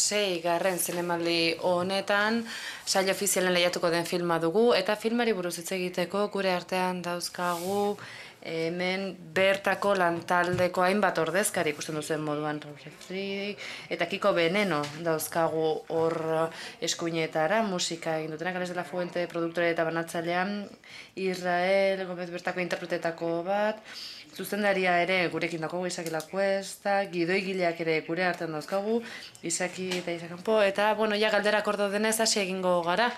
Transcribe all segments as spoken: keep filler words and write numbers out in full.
sei garren zinemaldi honetan sail ofizialen lehiatuko den filma dugu, eta filmari buruz hitz egiteko gure artean dauzkagu hemen bertako lantaldeko hainbat ordezkari ikusten duzen moduan Raul Refri eta Kiko Veneno dauzkagu hor eskuinetara, musika egin dutenak, Ales de la Fuente produktore eta banatzailean, Israel Gomez bertako interpretetako bat, zuzendaria ere gurekin dago Isaki Lacuesta, gidoigileak ere gure artean dauzkagu, Isaki eta Isaki Kanpo, eta bueno, ja galderak ordo denez hasi egingo gara.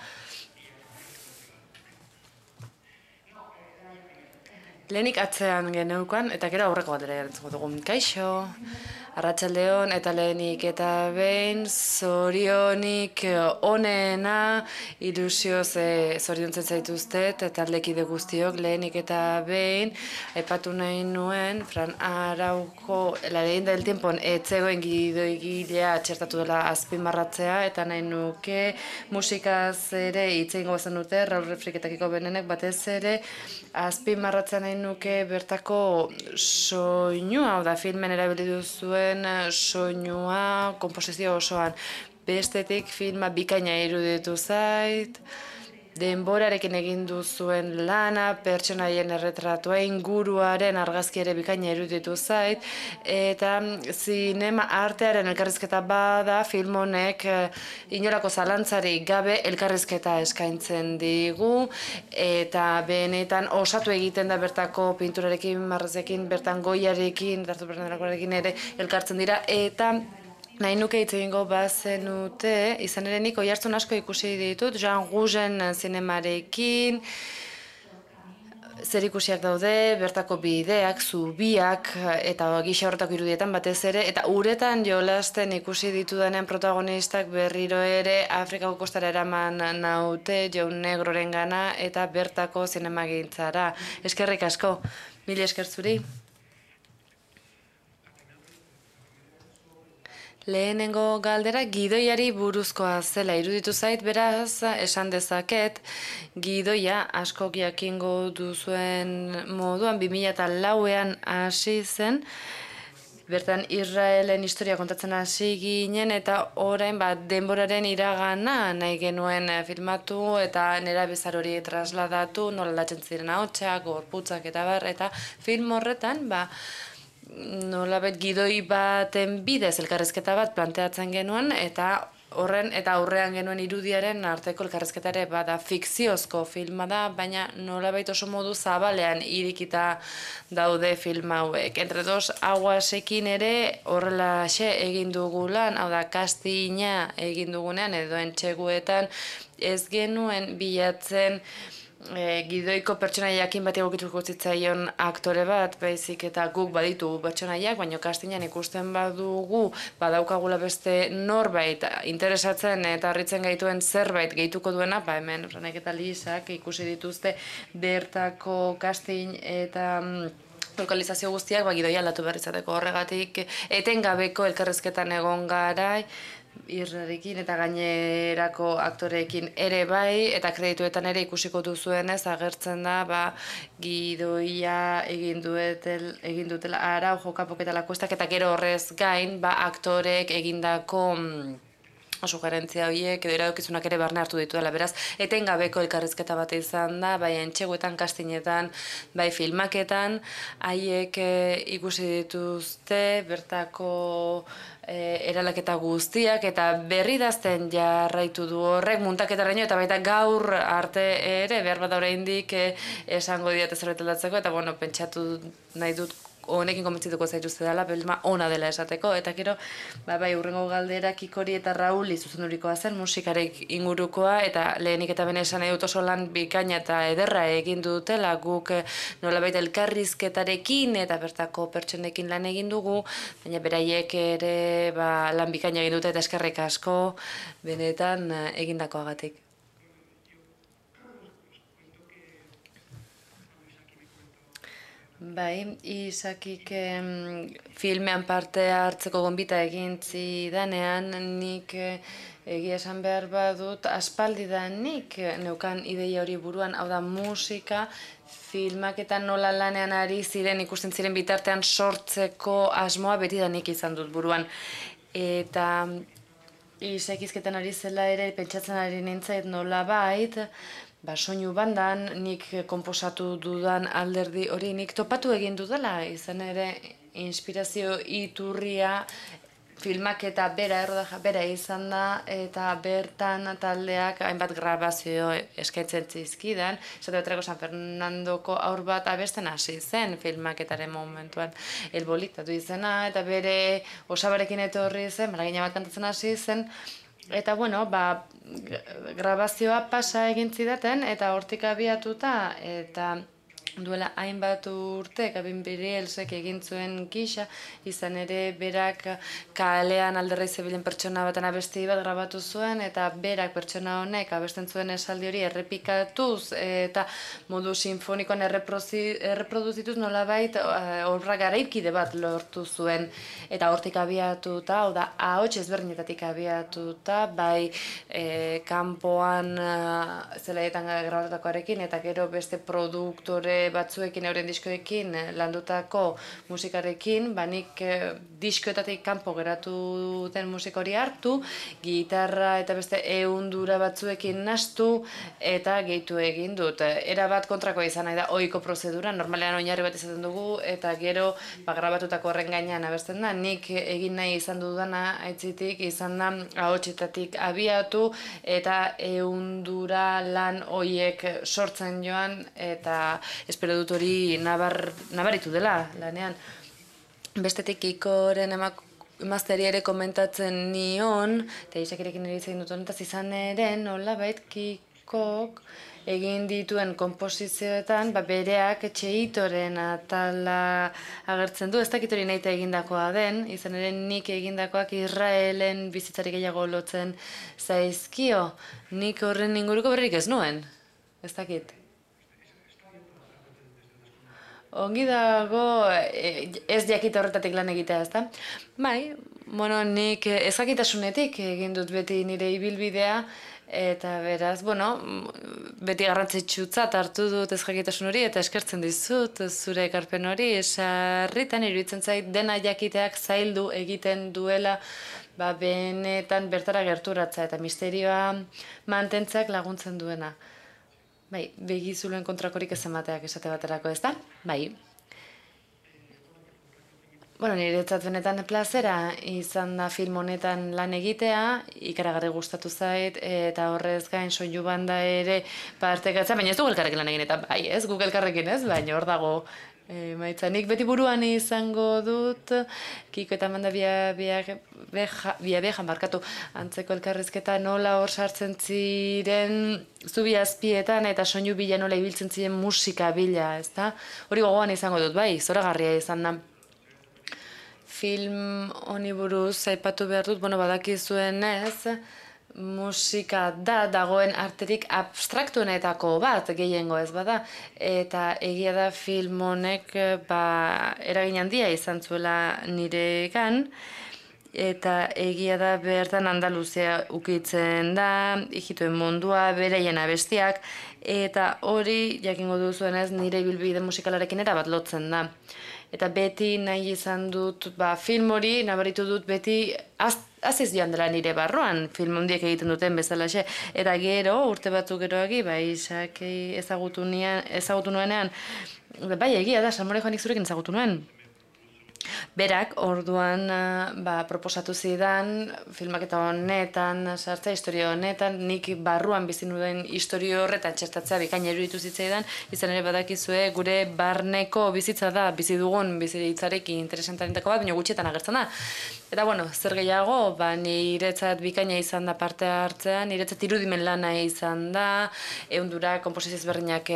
Lehenik atzean geneukan, eta gero aurreko galdera erantzungo dugu. Kaixo, arratsaldeon eta lehenik eta behin zorionik onena ilusioz zoriontzen zaituztet eta aldekide guztiok lehenik eta behin aipatu nahi nuen Fran Araujo La leyenda del tiempo etzegoen gidoigilea txertatu dela azpimarratzea eta nahi nuke musikaz ere hitz egingo bazan dute Raul Refrik eta Kiko Benenek batez ere azpimarratzen nahi nuke bertako soinua, hau da filmen erabili duzuen soinua, konposizio osoan. Bestetik filma bikaina iruditu zait, denborarekin egin duzuen lana, pertsonaien erretratua, inguruaren argazki ere bikaina iruditu zait, eta zinema artearen elkarrizketa bada film honek inolako zalantzarik gabe elkarrizketa eskaintzen digu, eta benetan osatu egiten da bertako pinturarekin, marrazekin, bertan goiarekin, dartu bertanarekin ere elkartzen dira, eta nahi nuke hitz egingo bazenute, izan ere nik oihartzun asko ikusi ditut, Jean Rougen zinemarekin, zer ikusiak daude, bertako bideak, zubiak, eta gisa horretako irudietan batez ere, eta uretan jolasten ikusi ditudanen protagonistak berriro ere Afrikako kostara eraman naute, Jaun Negroren gana, eta bertako zinemagintzara. Eskerrik asko, mila esker zuri. Lehenengo galdera gidoiari buruzkoa zela iruditu zait, beraz esan dezaket gidoia askok jakingo duzuen moduan bi mila lauean hasi zen, bertan Israelen historia kontatzen hasi ginen eta orain bat denboraren iragana nahi genuen filmatu eta nerabezar hori trasladatu, nola aldatzen ziren ahotsak, gorputzak eta bar, eta film horretan ba nolabait gidoi baten bidez elkarrizketa bat planteatzen genuen eta horren eta aurrean genuen irudiaren arteko elkarrizketa ere bada fikziozko filma da, baina nolabait oso modu zabalean irikita daude film hauek. Entre dos aguasekin ere horrelaxe egin dugu lan, hau da castinga egin dugunean edo entxeguetan ez genuen bilatzen E, gidoiko pertsonaiakin bat egokituko zitzaion aktore bat, baizik eta guk baditu pertsonaiak, baina castingan ikusten badugu, badaukagula beste norbait interesatzen eta harritzen gaituen zerbait gehituko duena, ba hemen Franek eta Lisak ikusi dituzte bertako casting eta lokalizazio guztiak, ba gidoia aldatu behar izateko horregatik, etengabeko elkarrizketan egon garai, Irrarekin eta gainerako aktoreekin ere bai, eta kredituetan ere ikusiko duzuenez agertzen da ba, gidoia egin, duetel, egin dutela Araujo, Kapok eta Lacuestak, eta gero horrez gain ba, aktorek egindako sugerentzia horiek edo iradokizunak ere barne hartu ditu dela, beraz, etengabeko elkarrizketa bat izan da, bai entxeguetan, kastinetan, bai filmaketan, haiek e, ikusi dituzte bertako e, eralaketa guztiak, eta berri dazten jarraitu du horrek, muntaketaraino, eta baita gaur arte ere, behar bat oraindik e, esango diat zerbait aldatzeko, eta bueno, pentsatu nahi dut honekin konbentzituko zaituzte dela, filma ona dela esateko, eta gero, ba, bai, urrengo galdera Kikori eta Rauli zuzendurikoa zen, musikarek ingurukoa, eta lehenik eta bene esan edut oso lan bikaina eta ederra egin dutela, guk nolabait elkarrizketarekin eta bertako pertsonekin lan egin dugu, baina beraiek ere ba, lan bikaina egin dute eta eskerrik asko benetan egindakoagatik. Bai, Isakik em, filmean parte hartzeko gonbita egin zidanean, nik eh, egia esan behar badut, aspaldidanik neukan ideia hori buruan, hau da musika, filmaketan nola lanean ari ziren, ikusten ziren bitartean sortzeko asmoa betidanik izan dut buruan. Eta isekizketan ari zela ere pentsatzen ari nintzait nolabait, ba, soinu bandan nik konposatu dudan alderdi hori nik topatu egin dudala, izan ere inspirazio iturria filmaketa bera, errodaja bera izan da, eta bertan taldeak hainbat grabazio eskaintzen zizkidan, esate baterako San Fernandoko aur bat abesten hasi zen filmaketaren momentuan. El Bolita du izena, eta bere osabarekin etorri zen, maragina bat kantatzen hasi zen, eta bueno, ba, grabazioa pasa egin zidaten, eta hortik abiatuta, eta duela hainbat urte, Gabin Birielsek egin zuen gisa, izan ere berak kalean alderrei zebilen pertsona baten abesti bat grabatu zuen, eta berak pertsona honek abesten zuen esaldi hori errepikatuz, eta modu sinfonikoan erreproduzituz nolabait obra garaikide bat lortu zuen, eta hortik abiatuta, hau da, ahots ezberdinetatik abiatuta, bai e, kanpoan zelaietan grabatutakoarekin, eta gero beste produktore batzuekin, euren diskoekin landutako musikarekin, ba nik diskoetatik kanpo geratu den musika hori hartu, gitarra eta beste ehundura batzuekin nahastu eta gehitu egin dut. Era bat kontrakoa izan nahi da ohiko prozedura, normalean oinarri bat izaten dugu, eta gero ba, grabatutako horren gainean abesten da, nik egin nahi izan dudana aitzitik izan da ahotsetatik abiatu eta ehundura lan hoiek sortzen joan, eta espero dut hori nabar, nabaritu dela lanean. Bestetik Ikoren emazteari ere komentatzen nion, eta Isakirekin ere izan dut honetaz izan ere, nolabait Kikok egin dituen konposizioetan, ba, bereak Txeitoren atala agertzen du, ez dakit hori nahita egindakoa den, izan ere nik egindakoak Israelen bizitzari gehiago lotzen zaizkio, nik horren inguruko berrik ez nuen, ez dakit. Ongi dago ez jakite horretatik lan egitea, ezta? Bai, bueno, nik ezakitasunetik egin dut beti nire ibilbidea, eta beraz, bueno, beti garrantzitsutzat hartu dut ezjakitasun hori, eta eskertzen dizut zure ekarpen hori, sarritan iruditzen zait dena jakiteak zaildu egiten duela, ba, benetan bertara gerturatza, eta misterioa mantentzak laguntzen duena. Bai, begizulen kontrakorik ez emateak esate baterako, ez da? Bai. Bueno, niretzat benetan plazera izan da film honetan lan egitea, ikaragarri gustatu zait, eta horrez gain soinu banda ere partekatzea, baina ez dugu elkarrekin lan egin, eta bai, ez, guk elkarrekin ez, baina hor dago e, maitza. Nik beti buruan izango dut, Kiko eta Amanda Biabejan barkatu antzeko elkarrizketa nola hor sartzen ziren zubi azpietan eta soinu bila nola ibiltzen ziren musika bila, ezta? Hori gogoan izango dut, bai, zoragarria izan da. Film honi buruz aipatu behar dut, bueno, badakizuen ez, musika da dagoen arterik abstraktuenetako bat gehiengo ez bada, eta egia da film honek ba, eragin handia izan zuela niregan, eta egia da bertan Andaluzia ukitzen da, ijituen mundua, bereien abestiak, eta hori, jakingo duzuenez, nire ibilbide musikalarekin erabat lotzen da. Eta beti nahi izan dut, ba, film hori, nabaritu dut beti az, aziz joan dela nire barruan, film hondiek egiten duten bezalaxe. Eta gero, urte batzuk geroagi, ba, Isaki ezagutu, nian, ezagutu nuenean, bai, egia da, Salmore Joanik zurekin ezagutu nuen. Berak, orduan, ba, proposatu zidan, filmaketa honetan, sartzea, historia honetan, nik barruan bizi nuen historio horretan txertatzea bikaina iruditu zitzaidan, izan ere badakizue gure barneko bizitza da, bizi dugun bizitzarekin interesantarentako bat, baina gutxietan agertzen da. Eta, bueno, zer gehiago, ba, niretzat bikaina izan da parte hartzea, niretzat irudimen lana izan da, ehundura konposizio ezberdinak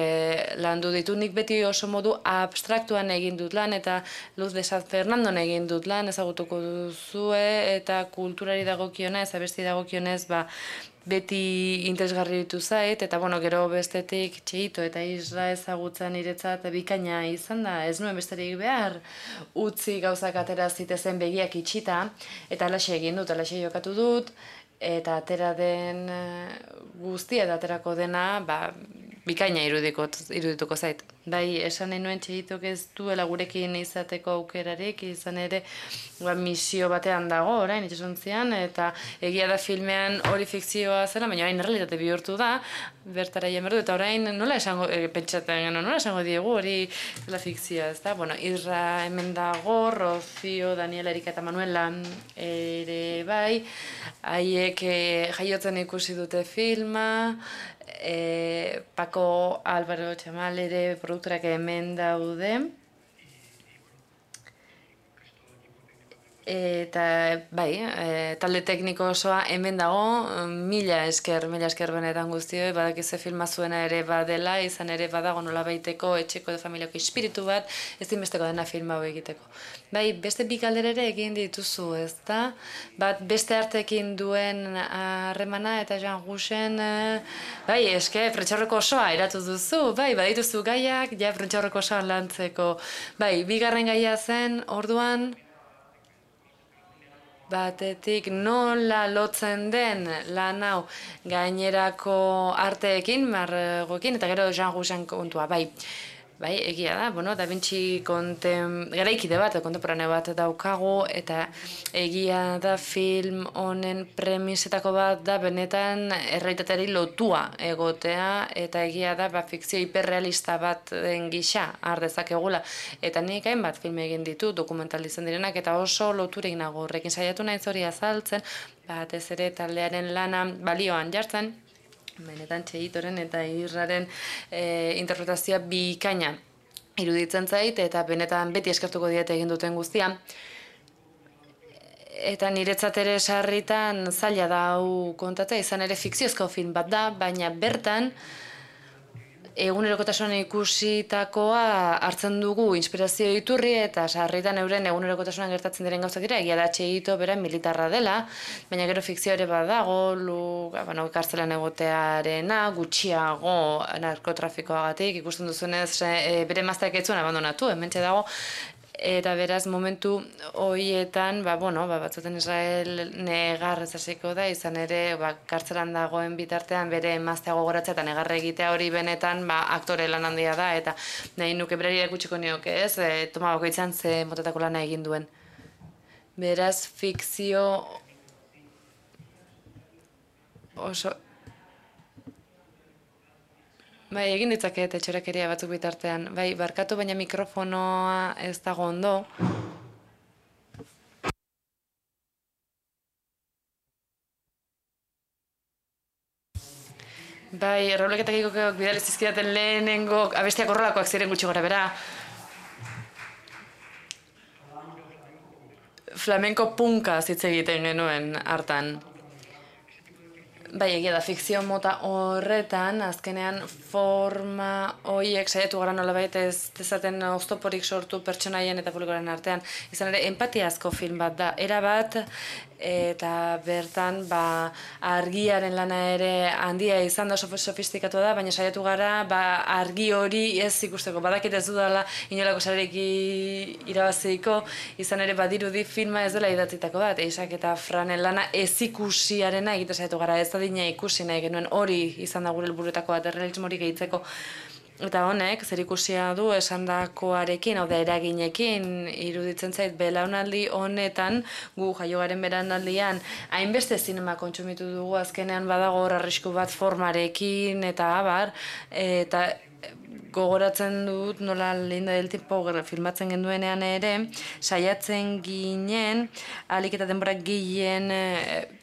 landu ditu, nik beti oso modu abstraktuan egin dut lan, eta Luz de San Fernandon egin dut lan, ezagutuko duzue, eta kulturari dagokionez, abesti dagokionez, ba, beti interesgarri ditu zait, eta bueno, gero bestetik Txeito eta Isra ezagutza niretzat bikaina izan da, ez nuen besterik behar, utzi gauzak atera zitezen begiak itxita, eta alaxe egin dut, alaxe jokatu dut, eta atera den guztia eta aterako dena, ba, bikaina irudituko zait. bai, esan nahi nuen Txehitok ez duela gurekin izateko aukerarik, izan ere ba, misio batean dago orain itxasontzian, eta egia da filmean hori fikzioa zela, baina orain errealitate bihurtu da, bertara jen berdu, eta orain nola esango, e, pentsatzen genuen, nola esango diegu hori dela fikzioa, ez da? Bueno, Irra hemen dago, Rocío, Daniela, Erika eta Manuela ere bai, haiek e, jaiotzen ikusi dute filma, e, Paco Álvaro Txamal ere produktorak hemen daude. Eta bai, e, talde tekniko osoa hemen dago, mila esker, mila esker benetan guztioi, badakize filma zuena ere badela, izan ere badago nola baiteko etxeko edo familiako espiritu bat, ez dinbesteko dena filma hau egiteko. Bai, beste bi galdera ere egin dituzu, ez da? Bat beste artekin duen harremana eta Jean Rougen, bai, eske, prentxaurreko osoa eratu duzu, bai, badituzu gaiak, ja, prentxaurreko osoa lantzeko. Bai, bigarren gaia zen, orduan, batetik nola lotzen den lan hau gainerako arteekin, margoekin, eta gero Jean Rougen kontua, bai. Bai, egia da, bueno, Da Vinci kontem... garaikide bat, kontemporaneo bat daukagu, eta egia da film honen premisetako bat da benetan errealitateari lotua egotea, eta egia da ba, fikzio hiperrealista bat den gisa har dezakegula. Eta nik hainbat film egin ditu, dokumental izan direnak, eta oso loturik nago horrekin saiatu naiz hori azaltzen, batez ere taldearen lana balioan jartzen, benetan Txehitoren eta Irraren e, interpretazioa bikaina iruditzen zait, eta benetan beti eskertuko diete egin duten guztia. Eta niretzat ere sarritan zaila da hau kontatzea, izan ere fikziozko film bat da, baina bertan egunerokotasunan ikusitakoa hartzen dugu inspirazio iturri eta sarritan euren egunerokotasunan gertatzen diren gauzak dira, egia da Txehito bera militarra dela, baina gero fikzio ere badago, lu, bueno, kartzelan egotearena, gutxiago narkotrafikoagatik, ikusten duzunez e, bere emazteak ez zuen abandonatu, hementxe dago, eta beraz momentu horietan, ba, bueno, ba, batzuten Israel negar ez hasiko da, izan ere ba, kartzelan dagoen bitartean bere emaztea gogoratzea eta negar egitea hori benetan ba, aktore lan handia da, eta nahi nuke berari erakutsiko nioke ez, e, toma bakoitzan ze motetako lana egin duen. Beraz, fikzio oso... Bai, egin ditzaket etxorekeria batzuk bitartean. Bai, barkatu baina mikrofonoa ez dago ondo. Bai, errauleketak ikokak bidalez izkidaten lehenengo abestiak horrelakoak ziren gutxi gora bera. Flamenko punka hitz egiten genuen hartan. Bai, egia da, fikzio mota horretan, azkenean forma horiek saiatu gara nolabait ez dezaten oztoporik sortu pertsonaien eta publikoaren artean. Izan ere, empatiazko film bat da, erabat, eta bertan ba, argiaren lana ere handia izan da sofistikatu da, baina saiatu gara ba, argi hori ez ikusteko. Badakit ez dudala inolako sarerik irabaziko, izan ere badirudi filma ez dela idatzitako bat, eisak eta Franen lana ez ikusiarena egite saiatu gara, ez adina ikusi nahi genuen hori izan da gure helburuetako bat errealismorik gehitzeko. Eta honek, zer ikusia du esandakoarekin, hau da eraginekin, iruditzen zait belaunaldi honetan, gu jaiogaren beranaldian, hainbeste zinema kontsumitu dugu, azkenean badago hor arrisku bat formarekin, eta abar, eta gogoratzen dut nola Linda del Tiempo filmatzen genduenean ere, saiatzen ginen, ahalik eta denborak gehien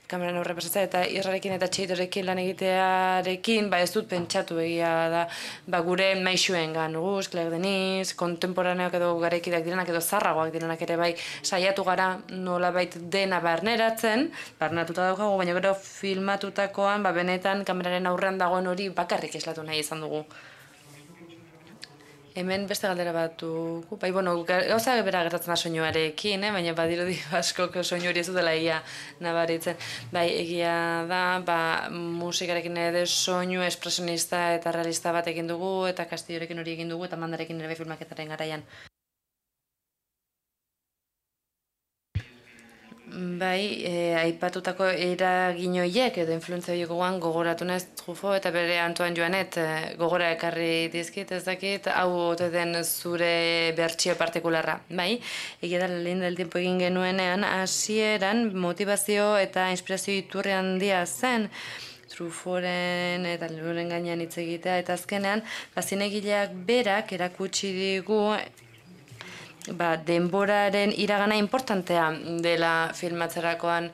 kameran horre pasatzea, eta Irrarekin eta Txehitorekin lan egitearekin, ba ez dut pentsatu egia da, ba gure maixuen gan, guz, Claire Denis, kontemporaneak edo garaikideak direnak edo zarragoak direnak ere bai saiatu gara nolabait dena barneratzen, barneratuta daukagu, baina gero filmatutakoan, ba benetan kameraren aurrean dagoen hori bakarrik eslatu nahi izan dugu. Hemen beste galdera bat dugu, bai, bueno, gauza bera gertatzen da soinuarekin, eh? Baina badirudi askok soinu hori ez dutela egia nabaritzen. Bai, egia da, ba, musikarekin ere soinu espresionista eta realista bat egin dugu, eta Castillorekin hori egin dugu, eta Mandarekin ere filmaketaren garaian. Bai, e, aipatutako eragin horiek edo influentzia horiek gogoan gogoratu naiz Truffaut eta bere Antoine Joanet e, gogora ekarri dizkit, ez dakit, hau ote den zure bertsio partikularra. Bai, egia da lehen del tiempo egin genuenean, hasieran motivazio eta inspirazio iturri handia zen, Truffauren eta liburuaren gainean hitz egitea, eta azkenean, zinegileak berak erakutsi digu ba, denboraren iragana importantea dela filmatzerakoan,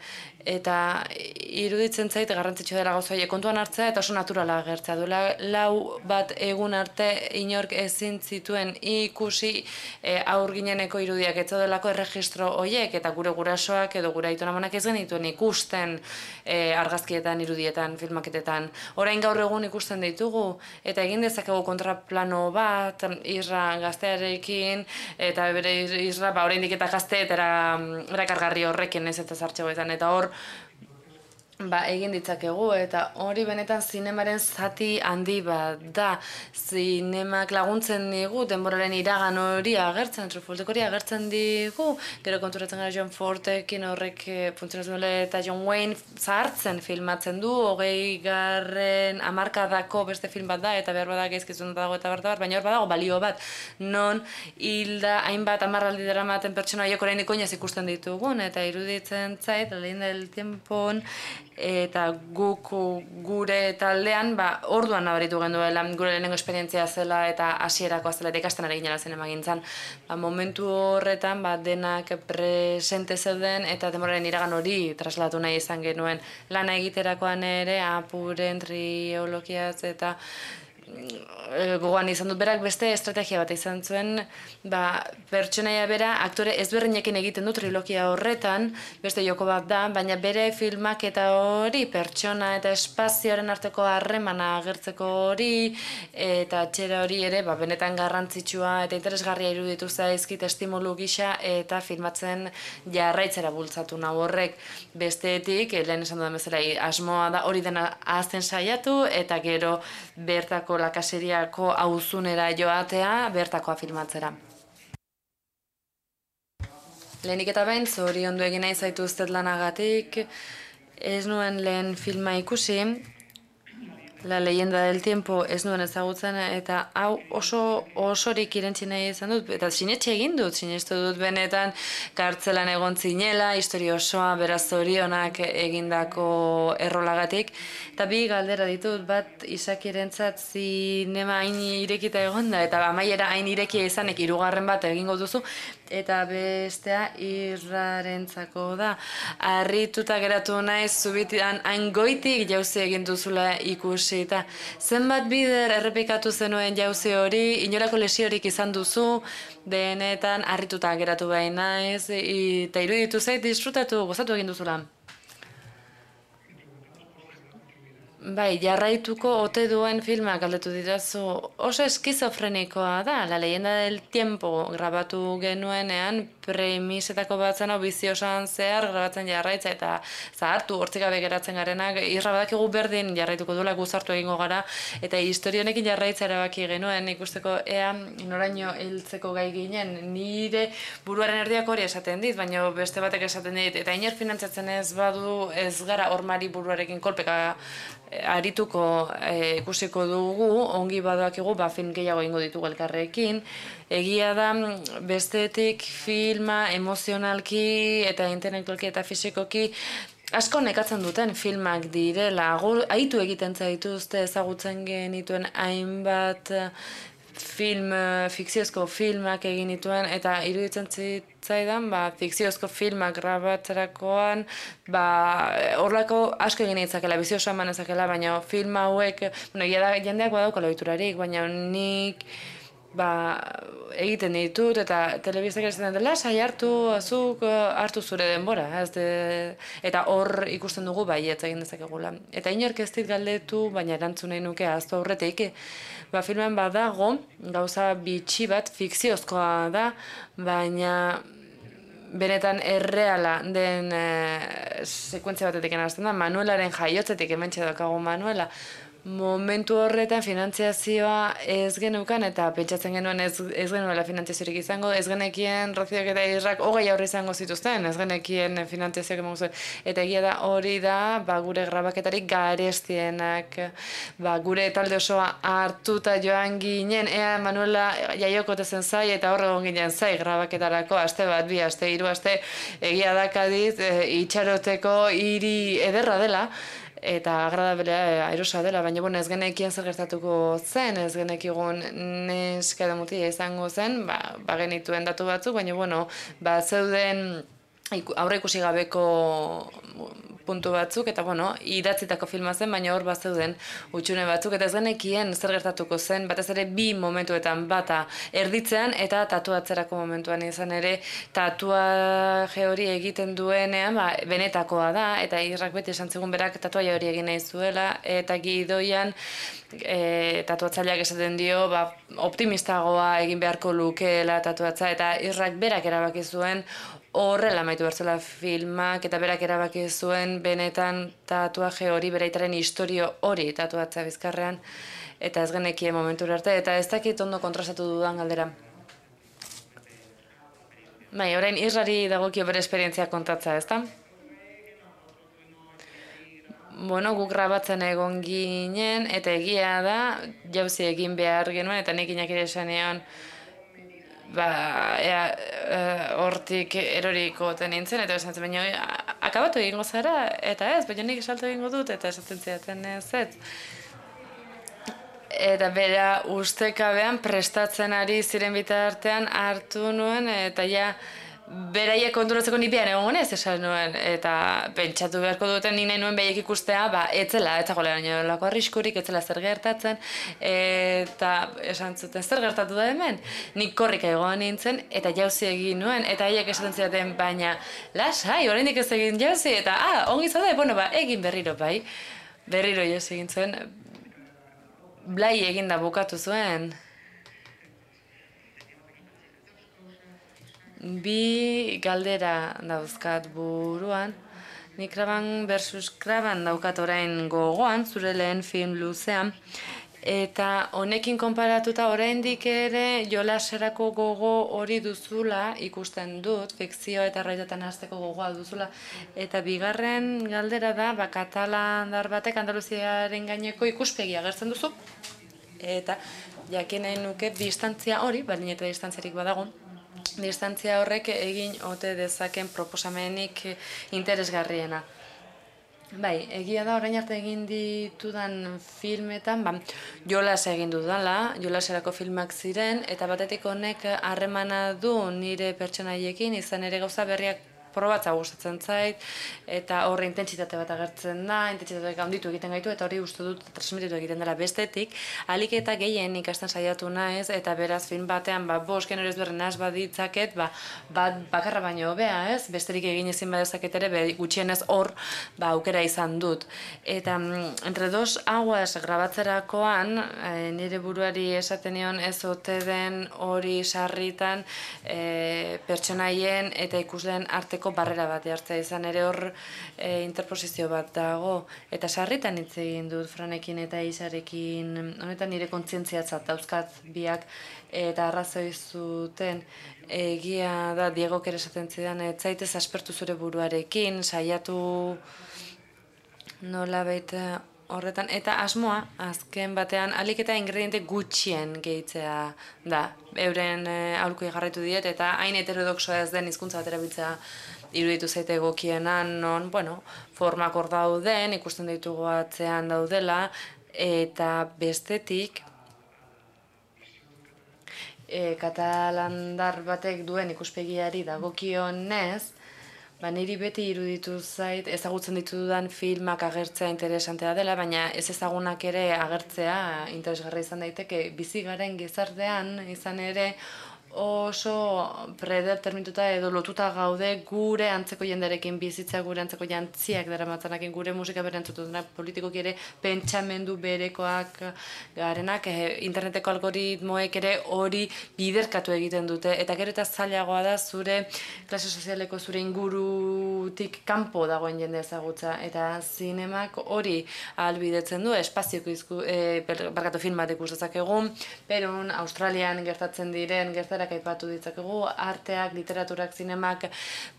eta iruditzen zait garrantzitsua dela gauza horiek kontuan hartzea eta oso naturala agertzea duela. Lau bat egun arte inork ezin zituen ikusi e, aur gineneko irudiak ez delako erregistro horiek, eta gure gurasoak edo gure aitonamonak ez genituen ikusten e, argazkietan, irudietan, filmaketetan. Orain gaur egun ikusten ditugu, eta egin dezakegu kontraplano bat, Isra gaztearekin, eta bere Isra ba, oraindik eta gazte eta erakargarri horrekin ez eta zartxegoetan, eta hor ba, egin ditzakegu, eta hori benetan zinemaren zati handi bat da. Zinemak laguntzen digu, denboraren iragan hori agertzen, Truffautek hori agertzen digu, gero konturatzen gara John Fordekin horrek funtzionatzen duela, eta John Wayne zahartzen filmatzen du, hogei garren hamarkadako beste film bat da, eta behar badak ezkizun dago eta bertabar, baina hor badago balio bat, non hilda hainbat hamarraldi daramaten pertsona horiek oraindik oinez ikusten ditugun, eta iruditzen zait, lehen del tiempon, eta guk gure taldean ba, orduan nabaritu genduela gure lehenengo esperientzia zela eta hasierako zela eta ikasten ari ginela zinema gintzan. Ba, momentu horretan ba, denak presente zeuden eta denboraren iragan hori traslatu nahi izan genuen. Lana egiterakoan ere apuren triologiaz eta gogoan izan dut berak beste estrategia bat izan zuen, ba, pertsonaia bera aktore ezberdinekin egiten du trilogia horretan, beste joko bat da, baina bere filmak eta hori pertsona eta espazioaren arteko harremana agertzeko hori, eta txera hori ere ba, benetan garrantzitsua eta interesgarria iruditu zaizkit estimulu gisa eta filmatzen jarraitzera bultzatu nau horrek. Bestetik, lehen esan dudan bezala, asmoa da hori dena ahazten saiatu eta gero bertako lakaseriako auzunera joatea bertakoa filmatzera. Lehenik eta behin, zoriondu egin nahi zaituztet lanagatik, ez nuen lehen filma ikusi, La leyenda del tiempo ez nuen ezagutzen, eta hau oso osorik irentzi nahi izan dut, eta sinetxe egin dut, sinestu dut benetan kartzelan egon zinela, historia osoa beraz zorionak egindako errolagatik, eta bi galdera ditut, bat Isakirentzat zinema hain irekita egonda, eta amaiera hain irekia izanek hirugarren bat egingo duzu, eta bestea Irrarentzako da. Harrituta geratu naiz zubitian hain goitik jauzi egin duzula ikusi, eta zenbat bider errepikatu zenuen jauzi hori, inolako lesiorik izan duzu, benetan harrituta geratu behin naiz, eta iruditu zait disfrutatu, gozatu egin duzula. Bai, jarraituko ote duen filmak galdetu dirazu, oso eskizofrenikoa da, La leyenda del tiempo grabatu genuenean, premisetako bat zen, biziosan zehar grabatzen jarraitza eta zahartu hortzik gabe geratzen garenak, Irra badakigu berdin jarraituko duela guzartu egingo gara, eta historionekin jarraitza erabaki genuen ikusteko ea noraino heltzeko gai ginen, nire buruaren erdiak hori esaten dit, baina beste batek esaten dit, eta inor finantzatzen ez badu ez gara hormari buruarekin kolpeka arituko e, ikusiko dugu, ongi badoakigu ba, film gehiago ingo ditugu elkarrekin. Egia da, bestetik filma emozionalki eta intelektualki eta fisikoki asko nekatzen duten filmak direla. Aitu egiten zaituzte ezagutzen genituen hainbat film, fikziozko filmak egin dituen, eta iruditzen zitzaidan, ba, fikziozko filmak grabatzerakoan, ba, horrelako asko egin ditzakela, bizioso eman ezakela, baina film hauek, bueno, da, jendeak badaukala ohiturarik, baina nik ba, egiten ditut, eta telebistak esaten dela, sai hartu, azuk, hartu zure denbora, ez de, eta hor ikusten dugu baietz egin dezakegula. Eta inork ez dit galdetu, baina erantzun nahi nuke ahaztu aurretik, ba, filmen badago, gauza bitxi bat, fikziozkoa da, baina benetan erreala den e, sekuentzia batetik hasten da, Manuelaren jaiotzetik hementxe daukagu Manuela, Momentu horretan finantziazioa ez genukan eta pentsatzen genuen ez, ez genuela finantziaziorik izango, ez genekien Roziok eta Irrak hogei aurre izango zituzten, ez genekien finantziazioak emango zuen. Eta egia da hori da ba, gure grabaketarik garestienak, ba, gure talde osoa hartuta joan ginen, ea Manuela jaioko zen zai eta horre egon ginen zai grabaketarako, aste bat, bi aste, hiru aste, egia da Kadiz, e, itxaroteko hiri ederra dela, eta agradablea aerosa dela, baina bueno, ez genekien zer gertatuko zen, ez genekigun neska edo mutila izango zen, ba, ba genituen datu batzuk, baina bueno, ba zeuden aurre ikusi gabeko puntu batzuk, eta bueno, idatzitako filma zen, baina hor bat zeuden utxune batzuk, eta ez genekien zer gertatuko zen, batez ere bi momentuetan bata erditzean, eta tatuatzerako momentuan izan ere, tatuaje hori egiten duenean, ba, benetakoa da, eta Irrak beti esan zigun berak tatuaia hori egin nahi zuela, eta gidoian e, tatuatzaileak esaten dio, ba, optimistagoa egin beharko lukeela tatuatza, eta Irrak berak erabaki zuen horrela amaitu bertzela filmak, eta berak erabaki zuen benetan tatuaje hori, beraitaren historio hori tatuatzea bizkarrean, eta ez genekien momentura arte, eta ez dakit ondo kontrastatu dudan galdera. Bai, orain Irrari dagokio bere esperientzia kontatza, ezta? Bueno, guk grabatzen egon ginen, eta egia da, jauzi egin behar genuen, eta nik inak ere esan egon, ba, ea, hortik eroriko nintzen, eta esan zen, baina akabatu egingo zara, eta ez, baina nik esaltu egingo dut, eta esaten zidaten ez ez. Eta bera ustekabean prestatzen ari ziren bitartean hartu nuen, eta ja, beraiek konturatzeko ni bian egon gonez esan nuen, eta pentsatu beharko duten ni nahi nuen behiek ikustea, ba, etzela, etzagoela nolako arriskurik, etzela zer gertatzen, eta esan zuten zer gertatu da hemen, nik korrika egon nintzen, eta jauzi egin nuen, eta haiek esaten zidaten, baina, lasai, oraindik ez egin jauzi, eta, ah, ongi zaude, bueno, ba, egin berriro, bai, berriro jauzi egin zuen, blai egin da bukatu zuen. Bi galdera dauzkat buruan, nik Kraban versus Kraban daukat orain gogoan, zure lehen film luzean, eta honekin konparatuta oraindik ere jolaserako gogo hori duzula ikusten dut, fikzio eta errealitatean hasteko gogoa duzula, eta bigarren galdera da, ba, katalandar batek Andaluziaren gaineko ikuspegia agertzen duzu, eta jakin nahi nuke distantzia hori, baldin eta distantziarik badago, distantzia horrek egin ote dezaken proposamenik interesgarriena. Bai, egia da orain arte egin ditudan filmetan, ba, jolas egin dudala, jolaserako filmak ziren, eta batetik honek harremana du nire pertsonaiekin, izan ere gauza berriak probatza gustatzen zait, eta horre intentsitate bat agertzen da, intentsitateak handitu egiten gaitu, eta hori uste dut transmititu egiten dela bestetik, ahalik eta gehien ikasten saiatu naiz, eta beraz film batean, ba, bost genero ezberdin nahaz baditzaket, ba, bat bakarra baino hobea, ez? Besterik egin ezin badezaket ere, be, gutxienez hor, ba, aukera izan dut. Eta entre dos aguas grabatzerakoan, e, nire buruari esaten nion ez ote den hori sarritan e, pertsonaien eta ikusleen arte barrera bat hartzea izan ere hor e, interposizio bat dago, eta sarritan hitz egin dut Franekin eta Isarekin, honetan nire kontzientziatzat dauzkat biak, eta arrazoi zuten egia da Diego ere esaten zidan, ez zaitez aspertu zure buruarekin, saiatu nolabait horretan, eta asmoa, azken batean, ahalik eta ingrediente gutxien gehitzea da. Euren e, aholkuei jarraitu diet, eta hain heterodoxoa ez den hizkuntza bat erabiltzea iruditu zaite egokienan, non, bueno, formak hor dauden, ikusten ditugu atzean daudela, eta bestetik, e, katalandar batek duen ikuspegiari dagokionez, ba, niri beti iruditu zait, ezagutzen ditudan filmak agertzea interesantea dela, baina ez ezagunak ere agertzea interesgarra izan daiteke bizi garen gizartean izan ere oso predeterminatuta edo lotuta gaude gure antzeko jendearekin bizitza, gure antzeko jantziak daramatzanakin, gure musika bere entzututenak, politikoki ere pentsamendu berekoak garenak, eh, interneteko algoritmoek ere hori biderkatu egiten dute, eta gero eta zailagoa da zure klase sozialeko zure ingurutik kanpo dagoen jende ezagutza, eta zinemak hori ahalbidetzen du, espazioko izku, e, barkatu film bat ikus dezakegu, Perun, Australian gertatzen diren gertarak aipatu ditzakegu, arteak, literaturak, zinemak,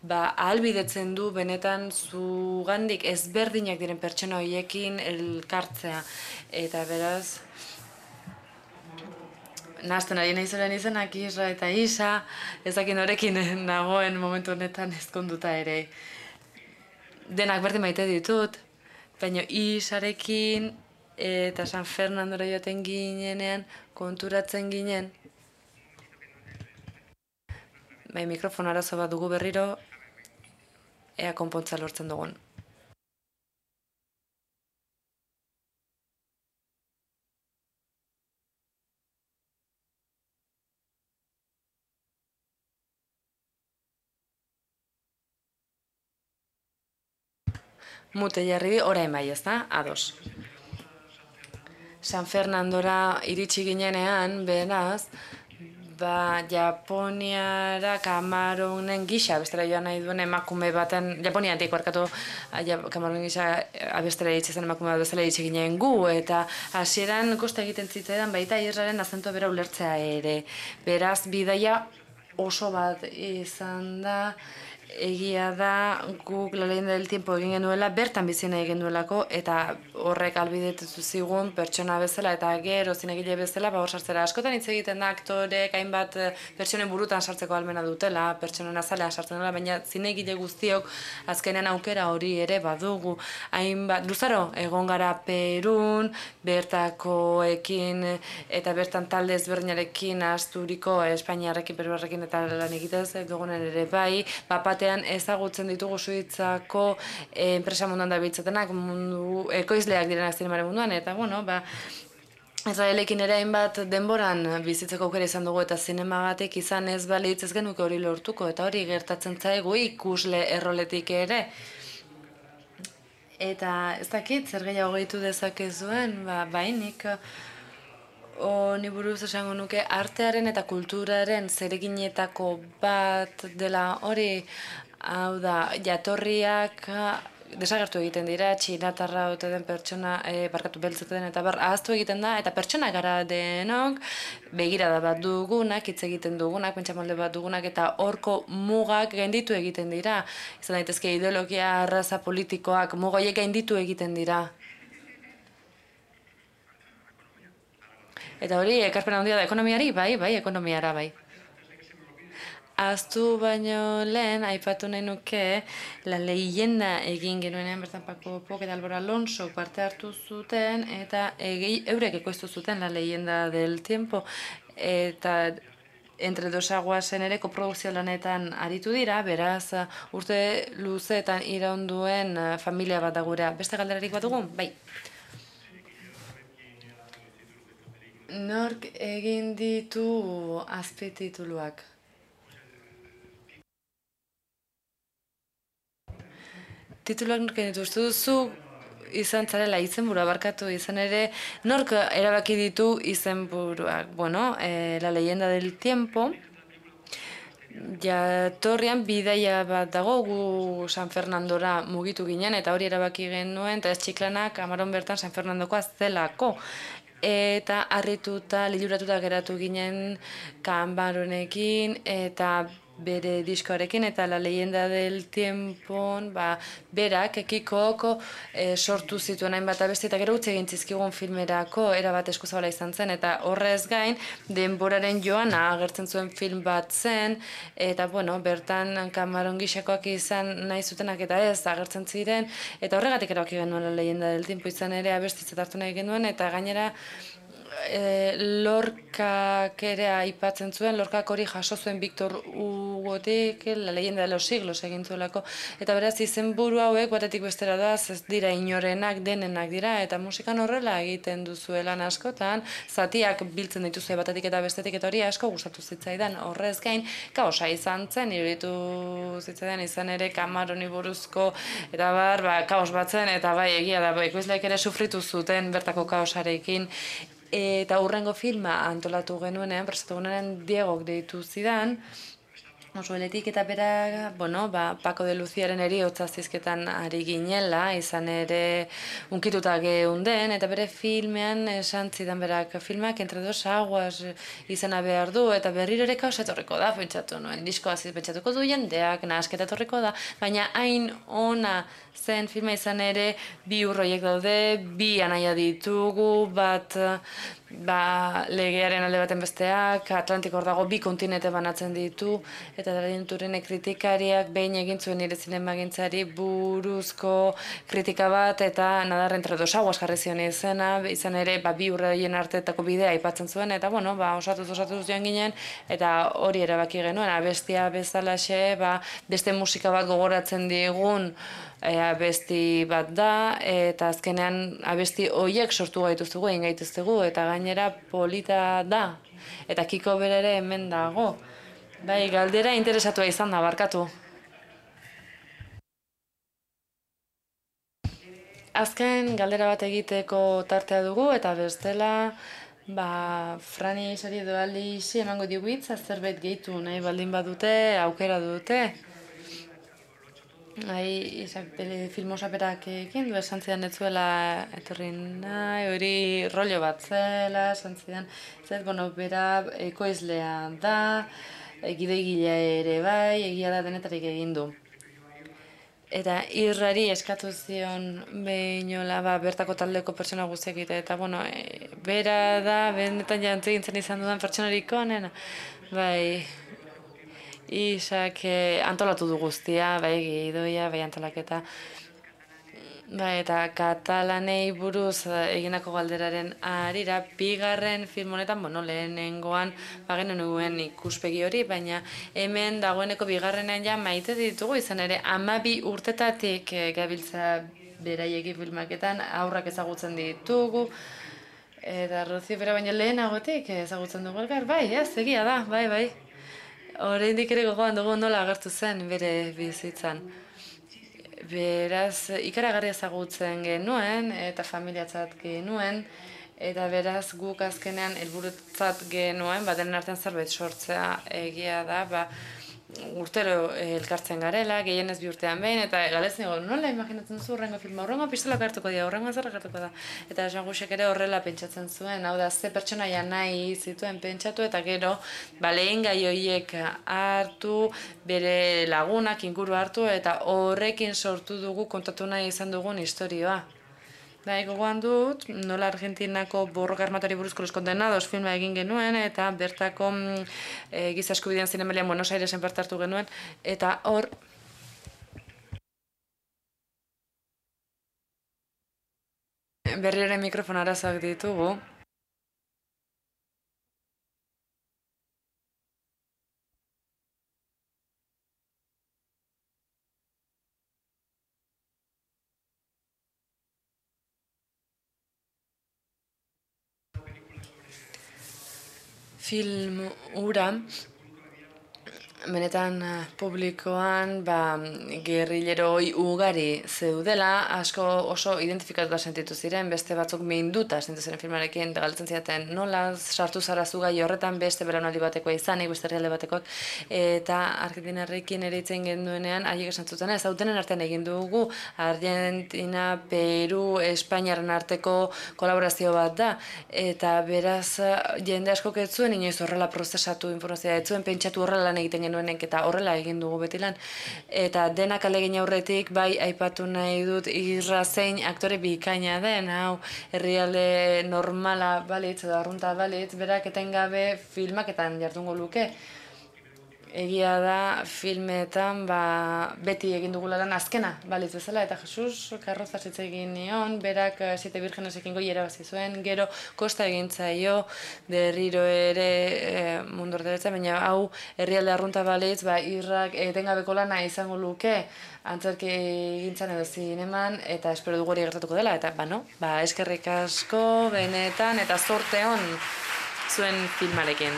ba, ahalbidetzen du benetan zugandik ezberdinak diren pertsona horiekin elkartzea. Eta beraz, nahazten ari nahizoren izenak Isra eta Isa, ezakin horrekin nagoen momentu honetan ezkonduta ere. Denak berdin maite ditut, baina Isarekin eta San Fernandora joaten ginenean konturatzen ginen. Bai, mikrofon arazo bat dugu berriro, ea konpontza lortzen dugun. Mute jarri bi, orain bai, ez da? Ados. San Fernandora iritsi ginenean, beraz, ba, Japoniara Kamaronen gisa abestera joan nahi duen emakume baten, Japonia antik barkatu Kamaronen gisa abestera hitz zen emakume bat bezala hitz ginen gu, eta hasieran kosta egiten zitzaidan baita Israelen azentua bera ulertzea ere. Beraz, bidaia oso bat izan da, egia da guk La leyenda del tiempo egin genuela, bertan bizi nahi genuelako, eta horrek ahalbidetu zigun pertsona bezala eta gero zinegile bezala, ba hor sartzera. Askotan hitz egiten da aktorek hainbat pertsonen burutan sartzeko ahalmena dutela, pertsonen azalean sartzen dela, baina zinegile guztiok azkenean aukera hori ere badugu. Hainbat luzaro egon gara Perun, bertakoekin eta bertan talde ezberdinarekin asturiko Espainiarrekin, Peruarrekin eta lan egitez dugunen ere bai, bapat ezagutzen ditugu Suitzako eh, enpresa munduan dabiltzatenak, mundu ekoizleak direnak zinemaren munduan, eta bueno, ba, Israelekin ere hainbat denboran bizitzeko aukera izan dugu, eta zinemagatik izan ez balitz ez genuke hori lortuko, eta hori gertatzen zaigu ikusle erroletik ere. Eta ez dakit, zer gehiago gehitu dezakezuen, ba, bainik, honi buruz esango nuke artearen eta kulturaren zereginetako bat dela hori, hau da, jatorriak desagertu egiten dira, txinatarra ote den pertsona, e, barkatu beltzeten eta bar, ahaztu egiten da, eta pertsona gara denok, begirada bat dugunak, hitz egiten dugunak, pentsamolde bat dugunak, eta horko mugak gainditu egiten dira. Izan daitezke ideologia, arraza politikoak, mugoiek gainditu egiten dira. Eta hori, ekarpen handia da ekonomiari, bai, bai, ekonomiara, bai. Aztu baino lehen, aipatu nahi nuke, La leyenda egin genuenean bertan Paco Pok eta Álvaro Alonso parte hartu zuten, eta egi, eurek ekoiztu zuten La leyenda del tiempo, eta Entre dos aguasen ere koprodukzio lanetan aritu dira, beraz urte luzeetan iraunduen familia bat da gurea. Beste galderarik bat dugu? Bai. Nork egin ditu azpitituluak? Tituluak nork egin ditu, uste duzu izan zarela izenburua barkatu izan ere, nork erabaki ditu izenburuak? Bueno, eh, La leyenda del tiempo, jatorrian bidaia bat dago, gu San Fernandora mugitu ginen, eta hori erabaki genuen, eta ez Txiklanak Amaron bertan San Fernandokoa zelako. Eta harrituta, liluratuta geratu ginen Kamaronekin eta bere diskoarekin, eta La leyenda del tiempon, ba, berak ekikoko e, sortu zituen hainbat abesti, eta gero utzi egin zizkigun filmerako erabat eskuzabala izan zen, eta horrez gain denboraren joana agertzen zuen film bat zen, eta bueno, bertan Kamaron gisakoak izan nahi zutenak eta ez agertzen ziren, eta horregatik erabaki genuen La leyenda del tiempo izan ere abestitzat hartu nahi genuen, eta gainera E, Lorkak ere aipatzen zuen, Lorkak hori jaso zuen Victor Hugo Hugotik, La leyenda de los siglos egin zuelako, eta beraz izenburu hauek batetik bestera doaz, ez dira inorenak, denenak dira, eta musikan horrela egiten duzuelan askotan, zatiak biltzen dituzue batetik eta bestetik, eta hori asko gustatu zitzaidan, horrez gain, kaosa izan zen, iruditu zitzaidan izan ere Camaroni buruzko, eta bar, ba, kaos batzen, eta bai, egia da, ekoizleek ere sufritu zuten bertako kaosarekin, eta hurrengo filma antolatu genuenean, prestatu genuenean Diegok deitu zidan, oso eletik eta bera, bueno, ba, Paco de Luciaren eriotza zizketan ari ginela, izan ere unkituta geunden, eta bere filmean esan zidan berak, filmak entre dos aguas izena behar du, eta berriro ere kaosa etorriko da, pentsatu nuen, diskoa pentsatuko du jendeak, nahasketa etorriko da, baina hain ona zen filma izan ere, bi urroiek daude, bi anaia ditugu, bat ba, legearen alde baten besteak, Atlantiko hor dago bi kontinente banatzen ditu, eta Taranturen kritikariak behin egin zuen nire zinemagintzari buruzko kritika bat, eta Nadar entre dos aguas jarri zion izena, izan ere ba, bi urroien artetako bidea aipatzen zuen, eta bueno, ba, osatuz osatuz joan ginen, eta hori erabaki genuen, abestia bezalaxe, ba, beste musika bat gogoratzen digun, E, abesti bat da, eta azkenean abesti horiek sortu gaituztugu, egin gaituztugu, eta gainera polita da, eta Kiko berere hemen dago. Bai, galdera interesatua izan da, barkatu. Azken galdera bat egiteko tartea dugu, eta bestela, ba, Frani sari edo Alixi emango digu hitza, zerbait gehitu nahi baldin badute, aukera dute. Hai, izak, filmosaperak ekin du, esan zidan ez zuela etorri nahi, hori rollo bat zela, esan zidan, ez, bueno, bera ekoizlea da, gidoigilea ere bai, egia da denetarik egin du. Eta irrari eskatu zion behinola, ba, bertako taldeko pertsona guztiak egite, eta, bueno, e, bera da, benetan jantzi gintzen izan dudan pertsonarik onena, bai, Isak eh, antolatu du guztia, bai gidoia, bai antolaketa. Bai, eta katalanei buruz eginako galderaren arira, bigarren film honetan, bueno, lehenengoan bagen nuen ikuspegi hori, baina hemen dagoeneko bigarrenean ja maite ditugu, izan ere hamabi urtetatik eh, gabiltza beraieki filmaketan, aurrak ezagutzen ditugu, eta Rocio bera baina lehenagotik ezagutzen dugu elkar, bai, ez, egia da, bai, bai. Oraindik ere gogoan dugu nola agertu zen bere bizitzan. Beraz, ikaragarri ezagutzen genuen eta familiatzat genuen, eta beraz guk azkenean helburutzat genuen, ba, denen artean zerbait sortzea egia da, ba, urtero elkartzen garela, gehienez bi urtean behin, eta galetzen dugu, nola imaginatzen duzu horrengo filma, horrengo pistolak hartuko dira, horrengo zerrak hartuko da. Eta Jean Gusek ere horrela pentsatzen zuen, hau da, ze pertsonaia nahi zituen pentsatu, eta gero, ba, lehen gai horiek hartu, bere lagunak inguru hartu, eta horrekin sortu dugu, kontatu nahi izan dugun historioa. Bai, gogoan dut, nola Argentinako borroka armatari buruzko Los Condenados filma egin genuen, eta bertako e, giza eskubideen zinemalian Buenos Airesen parte hartu genuen, eta hor, berriro mikrofon arazoak ditugu. Film hura, benetan publikoan ba, gerrileroi ugari zeudela, asko oso identifikatuta sentitu ziren, beste batzuk minduta sentitu ziren filmarekin, galtzen zidaten nola sartu zara zu gai horretan beste belaunaldi batekoa izanik, beste herrialde batekoak, eta Argentinarrekin ere itzen genduenean, haiek esan zuten ez, hautenen artean egin dugu, Argentina, Peru, Espainiaren arteko kolaborazio bat da, eta beraz jende askok ez zuen inoiz horrela prozesatu informazioa, ez zuen pentsatu horrela lan egiten genuenek, eta horrela egin dugu beti lan. Eta denak alegin aurretik, bai aipatu nahi dut Irra zein aktore bikaina den, hau herrialde normala balitz edo arrunta balitz, berak etengabe filmaketan jardungo luke. egia da filmetan ba, beti egin dugula lan azkena, balitz bezala, eta Jesus Karrozaz hitz egin nion, berak eh, Siete Virgenesekin goi erabazi zuen, gero kosta egin zaio, berriro ere e, mundu orderetzen, baina hau herrialde arrunta balitz, ba, irrak etengabeko lana izango luke, antzerki gintzan edo zineman, eta espero dugu hori gertatuko dela, eta ba, no? Ba, eskerrik asko, benetan, eta zorte on zuen filmarekin.